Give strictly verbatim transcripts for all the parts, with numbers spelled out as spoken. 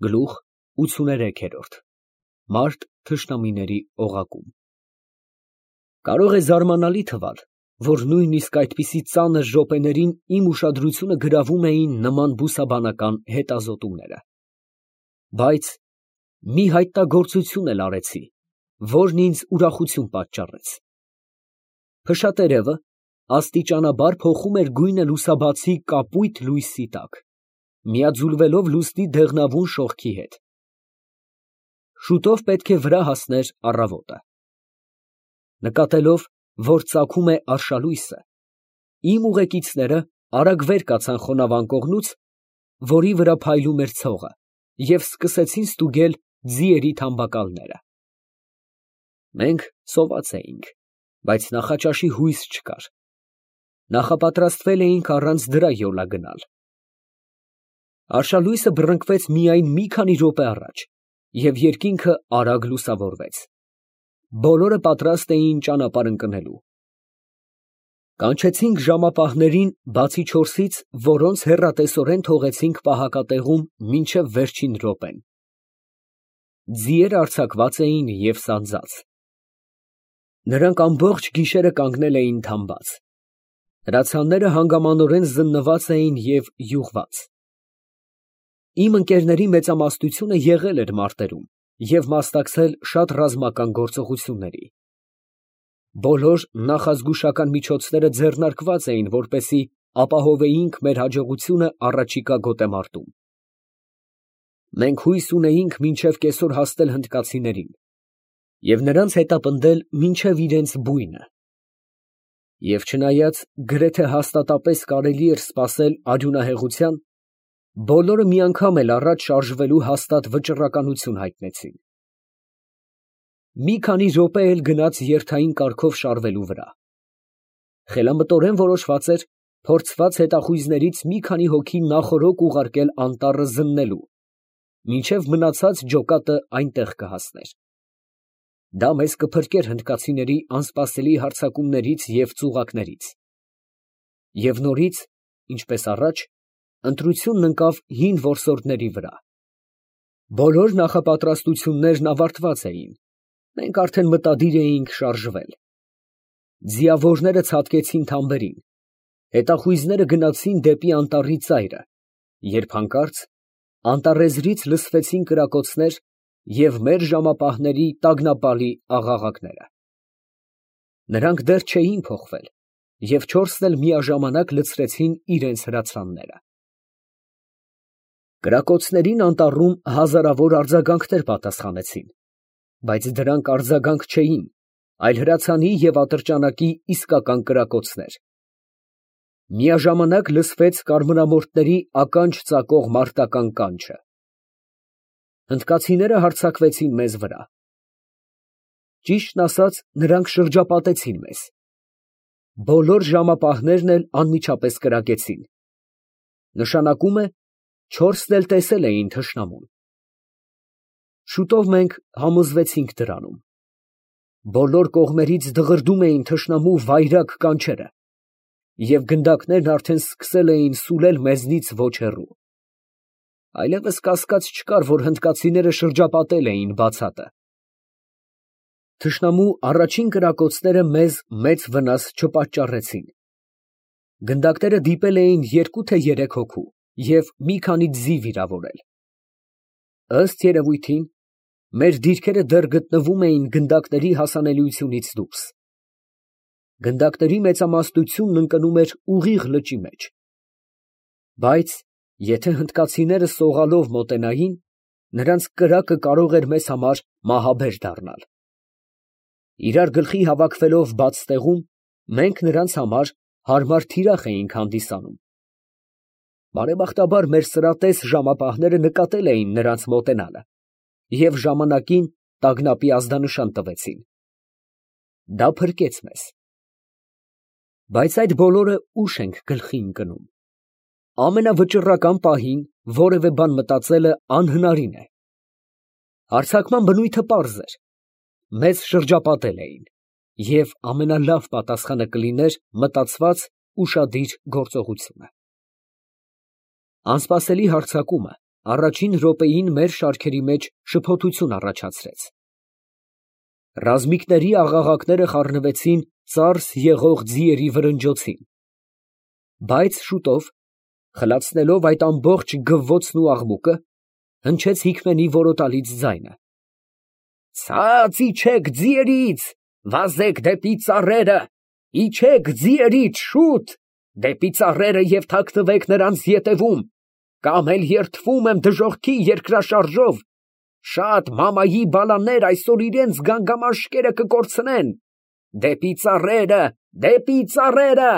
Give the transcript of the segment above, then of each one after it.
Գլուխ ութսուներեք։ Մարտ թշնամիների օղակում։ Կարող է զարմանալի թվալ, որ նույնիսկ այդպիսի ծանր րոպեներին իմ ուշադրությունը գրավում էին նման բուսաբանական հետազոտումները, բայց մի հայտնագործություն էլ արեցի, որն ինձ ուրախություն պատճառեց։ Փշատերևը աստիճանաբար փոխում էր գույնը լուսաբացի կապույտ լույսի տակ, միաձուլվելով լուսնի դեղնավուն շողքի հետ։ Շուտով պետք է վրա հասներ առավոտը։ Նկատելով, որ ծագում է արշալույսը, իմ ուղեկիցները արագ վեր կացան խոնավան կողմուց, որի վրա փայլում էր ցողը, և սկսեցին ստուգել ձիերի թամբակալները։ Մենք սոված էինք, բայց նախաճաշի հույս չկար. նախապատրաստվել էինք առանց դրա յոլա գնալ։ Արշալույսը բռնկվեց միայն մի քանի րոպե առաջ, և երկինքը արագ լուսավորվեց։ Բոլորը պատրաստ էին ճանապարհ ընկնելու։ Կանչեցինք ժամապահներին բացի չորսից, որոնց հեռատեսորեն թողեցինք պահակատեղում մինչև վերջին րոպեն։ Ձիերը արձակված էին և սանձած։ Նրանք ամբողջ գիշերը կանգնել էին թամբած։ Հրացանները հանգամանորեն զննված էին և յուղված։ Իմ ընկերների մեծամասնությունը եղել էր մարտերում և մասնակցել շատ ռազմական գործողությունների։ Բոլոր նախազգուշական միջոցները ձեռնարկված էին, որպեսզի ապահովեինք մեր հաջողությունը առաջիկա գոտեմարտում։ Մենք հույս ունեինք մինչև կեսօր հասնել հնդկացիներին և նրանց հետապնդել մինչև իրենց բույնը։ Եվ չնայած գրեթե հաստատապես կարելի էր սպասել արյունահեղության, բոլորը մի անգամ էլ առաջ շարժվելու հաստատ վճռականություն հայտնեցին։ Մի քանի րոպե էլ գնաց երթային կարգով շարվելու վրա։ Խելամտորեն որոշված էր փորձված հետախույզներից մի քանի հոգի նախօրոք ուղարկել անտառը զննելու, մինչև մնացած ջոկատը այնտեղ կհասներ։ Դա մեզ կփրկեր հնդկացիների անսպասելի հարձակումներից և ծուղակներից։ Եվ նորից, ինչպես առաջ, ընտրությունն ընկավ հին որսորդների վրա։ Բոլոր նախապատրաստություններն ավարտված էին, մենք արդեն մտադիր էինք շարժվել։ Ձիավորները ցատկեցին թամբերին, հետախույզները գնացին դեպի անտառի ծայրը, երբ հանկարծ անտառեզրից լսվեցին կրակոցներ և մեր ժամապահների տագնապալի աղաղակները։ Նրանք դեռ չէին փոխվել, և չորսն էլ միաժամանակ լցրեցին իրենց հրացանները։ Կրակոցներին անտառում հազարավոր արձագանքներ պատասխանեցին, բայց դրանք արձագանք չէին, այլ հրացանի և ատրճանակի իսկական կրակոցներ։ Միաժամանակ լսվեց կարմրամորթների ականջ ծակող մարտական կանչը։ Հնդկացիները հարձակվեցին մեզ վրա։ Ճիշտն ասած, նրանք շրջապատեցին մեզ։ Բոլոր ժամապահներն էլ անմիջապես կրակեցին։ Նշանակում է, չորսն էլ տեսել էին թշնամուն։ Շուտով մենք համոզվեցինք դրանում։ Բոլոր կողմերից դղրդում էին թշնամու վայրագ կանչերը, և գնդակներն արդեն սկսել էին սուլել մեզնից ոչ հեռու։ Այլևս կասկած չկար, որ հնդկացիները շրջապատել էին բացատը։ Թշնամու առաջին կրակոցները մեզ մեծ վնաս չպատճառեցին։ Գնդակները դիպել էին երկու թե երեք հոգու և մի քանի ձի վիրավորել։ Ըստ երևույթին, մեր դիրքերը դեռ գտնվում էին գնդակների հասանելիությունից դուրս։ Գնդակների մեծամասնությունն ընկնում էր ուղիղ լճի մեջ։ Բայց եթե հնդկացիները սողալով մոտենային, նրանց կրակը կարող էր մեզ համար մահաբեր դառնալ։ Իրար գլխի հավաքվելով բաց տեղում, մենք նրանց համար հարմար թիրախ էինք հանդիսանում։ Բարեբախտաբար մեր սրատես ժամապահները նկատել էին նրանց մոտենալը և ժամանակին տագնապի ազդանշան տվեցին։ Դա փրկեց մեզ։ Բայց այդ բոլորը ուշ ենք գլխի ընկնում։ Ամենավճռական պահին որևէ բան մտածելը անհնարին է։ Հարձակման բնույթը պարզ էր։ Մեզ շրջապատել էին, և ամենալավ պատասխանը կլիներ մտածված ուշադիր գործողությունը։ Անսպասելի հարձակումը առաջին րոպեին մեր շարքերի մեջ շփոթություն առաջացրեց։ Ռազմիկների աղաղակները խառնվեցին ծարս եղող ձիերի վրնջոցին, բայց շուտով, խլացնելով այդ ամբողջ գվվոցն ու աղմուկը, հնչեց Հիկմենի որոտալից ձայնը. «Ցած իջեք ձիերից, վազեք դեպի ծառերը, իջեք ձիերից, շուտ, դեպի ծառերը և թաքնվեք նրանց ետևում, կամ էլ երդվում եմ դժոխքի երկրաշարժով, շատ մամայի բալաներ այսօր իրանց գանգամաշկերը կկորցնեն, դեպի ծառերը, դեպի ծառերը»։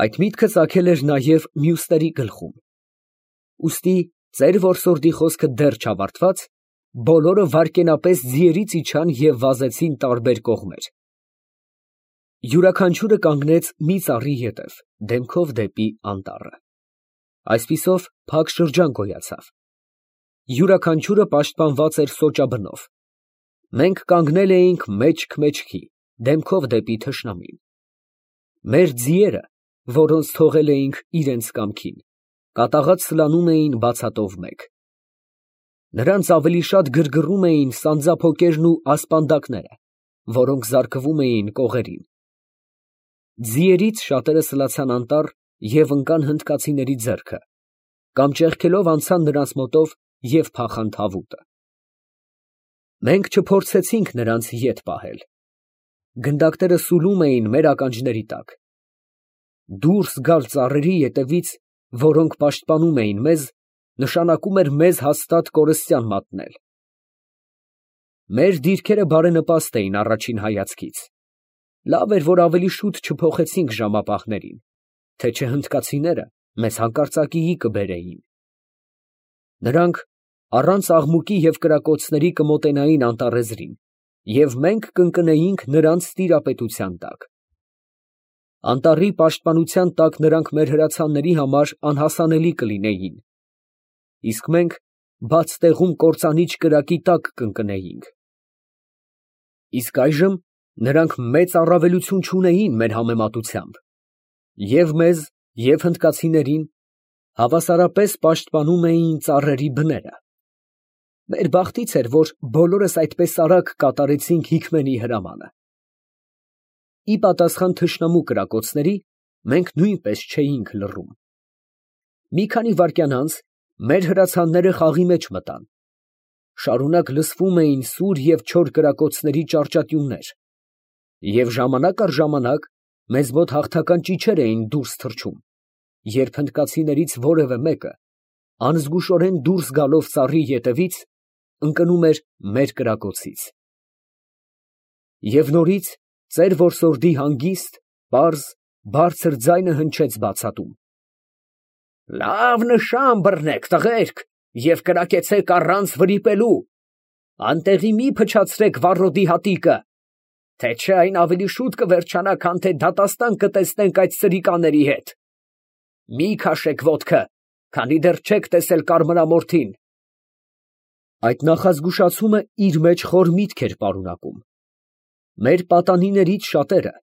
Այդ միտքը ծագել էր նաև մյուսների գլխում, ուստի ծեր որսորդի խոսքը դեռ չավարտված, բոլորը վայրկենապես ձիերից իջան և վազեցին տարբեր կողմեր։ Յուրաքանչյուրը կանգնեց մի ծառի ետև, դեմքով դեպի անտառը։ Այսպիսով փակ շրջան գոյացավ։ Յուրաքանչյուրը պաշտպանված էր սոճաբնով։ Մենք կանգնել էինք մեջք֊մեջքի, դեմքով դեպի թշնամին։ Մեր ձիերը, որոնց թողել էինք իրենց կամքին, կատաղած սլանում էին բացատով մեկ։ Նրանց ավելի շատ գրգռում էին սանձափոկերն ու ասպանդակները, որոնք զարկվում էին կողերին։ Ձիերից շատերը սլացան անտառ և ընկան հնդկացիների ձեռքը, կամ ճեղքելով անցան նրանց մոտով և փախան թավուտը։ Մենք չփորձեցինք նրանց ետ պահել։ Գնդակները սուլում էին մեր ականջների տակ։ Դուրս գալ ծառերի ետևից, որոնք պաշտպանում էին մեզ, նշանակում էր մեզ հաստատ կորստյան մատնել։ Մեր դիրքերը բարենպաստ էին առաջին հայացքից։ Լավ էր, որ ավելի շուտ չփոխեցինք ժամապահներին, թե չէ հնդկացիները մեզ հանկարծակիի կբերեին։ Նրանք առանց աղմուկի և կրակոցների կմոտենային անտառեզրին, և մենք կընկնեինք նրանց տիրապետության տակ։ Անտառի պաշտպանության տակ նրանք մեր հրացանների համար անհասանելի կլինեին, իսկ մենք բաց տեղում կործանիչ կրակի տակ կընկնեինք։ Իսկ այժմ նրանք մեծ առավելություն չունեին մեր համեմատությամբ, և մեզ, և հնդկացիներին հավասարապես պաշտպանում էին ծառերի բները։ Մեր բախտից էր, որ բոլորս այդպես արագ կատարեցինք Հիկմենի հրամանը։ Ի պատասխան թշնամու կրակոցների, մենք նույնպես չէինք լռում։ Մի քանի վայրկյան անց մեր հրացանները խաղի մեջ մտան։ Շարունակ լսվում էին սուր և չոր կրակոցների ճառճատյուններ, և ժամանակ առ ժամանակ մեզ մոտ հաղթական ճիչեր էին դուրս թռչում, երբ հնդկացիներից որևէ մեկը, անզգուշորեն դուրս գալով ծառի ետևից, ընկնում էր մեր կրակոցից։ Եվ նորից ծեր որսորդի հանգիստ, պարզ, բարձր ձայնը հնչեց բացատում. «Լավ նշան բռնեք, տղերք, և կրակեցեք առանց վրիպելու, անտեղի մի փչացրեք վառոդի հատիկը, թե չէ այն ավելի շուտ կվերջանա, քան թե դատաստան կտեսնենք այդ սրիկաների հետ։ Մի քաշեք ոտքը, քանի դեռ չեք տեսել կարմրամորթին»։ Այդ նախազգուշացումը իր մեջ խոր միտք էր պարունակում։ Մեր պատանիներից շատերը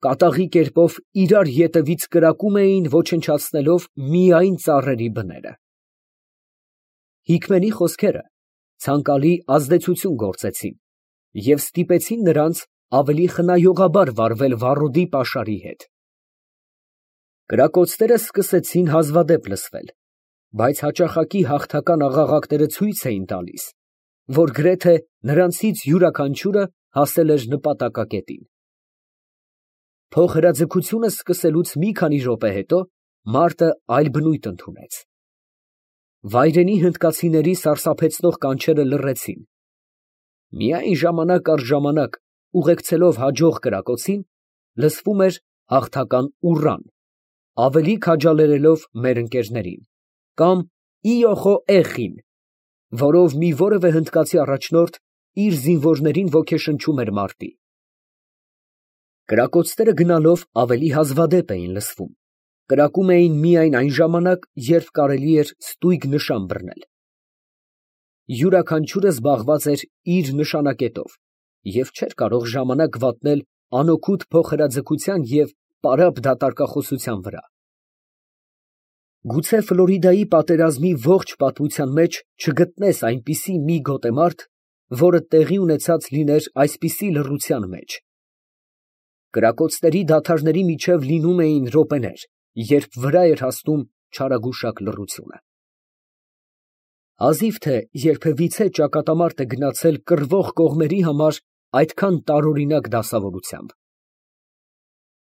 կատաղի կերպով իրար ետևից կրակում էին, ոչնչացնելով միայն ծառերի բները։ Հիկմենի խոսքերը ցանկալի ազդեցություն գործեցին և ստիպեցին նրանց ավելի խնայողաբար վարվել վառոդի պաշարի հետ։ Կրակոցները սկսեցին հազվադեպ լսվել, բայց հաճախակի հաղթական աղաղակները ցույց էին տալիս, որ գրեթե նրանցից յուրաքանչյուրը հասել էր նպատակակետին։ Փոխհրաձգությունը սկսելուց մի քանի րոպե հետո մարտը այլ բնույթ ընդունեց։ Վայրենի հնդկացիների սարսափեցնող կանչերը լռեցին։ Միայն ժամանակ առ ժամանակ, ուղեկցելով հաջող կրակոցին, լսվում էր հաղթական ուռան, ավելի քաջալերելով մեր ընկերներին, կամ «Իոխո էխին», որով մի որևէ հնդկացի առաջնորդ իր զինվորներին ոգեշնչում էր մարտի։ Կրակոցները գնալով ավելի հազվադեպ էին լսվում, կրակում էին միայն այն ժամանակ, երբ կարելի էր ստույգ նշան բռնել։ Յուրաքանչյուրը զբաղված էր իր նշանակետով և չէր կարող ժամանակ վատնել անօգուտ փոխհրաձգության և պարապ դատարկախոսության վրա։ Գուցե Ֆլորիդայի պատերազմի ողջ պատմության մեջ չգտնես այնպիսի մի գոտեմարդ, որը տեղի ունեցած լիներ այսպիսի լռության մեջ։ Կրակոցների դադարների միջև լինում էին րոպեներ, երբ վրա էր հասնում չարագուշակ լռությունը։ Հազիվ թե երբևիցե ճակատամարտ է գնացել կռվող կողմերի համար այդքան տարօրինակ դասավորությամբ։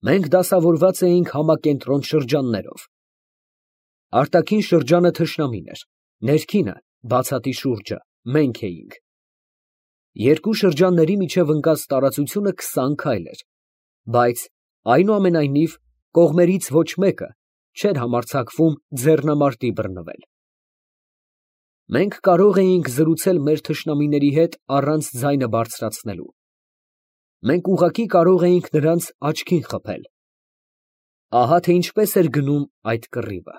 Մենք դասավորված էինք համակենտրոն շրջաններով։ Արտաքին շրջանը թշնամին էր, ներքինը, բացատի շուրջը, մենք էինք։ Երկու շրջանների միջև ընկած տարածությունը քսան քայլ էր, բայց այնուամենայնիվ կողմերից ոչ մեկը չէր համարձակվում ձեռնամարտի բռնվել։ Մենք կարող էինք զրուցել մեր թշնամիների հետ առանց ձայնը բարձրացնելու։ Մենք ուղղակի կարող էինք նրանց աչքին խփել։ Ահա թե ինչպես էր գնում այդ կռիվը։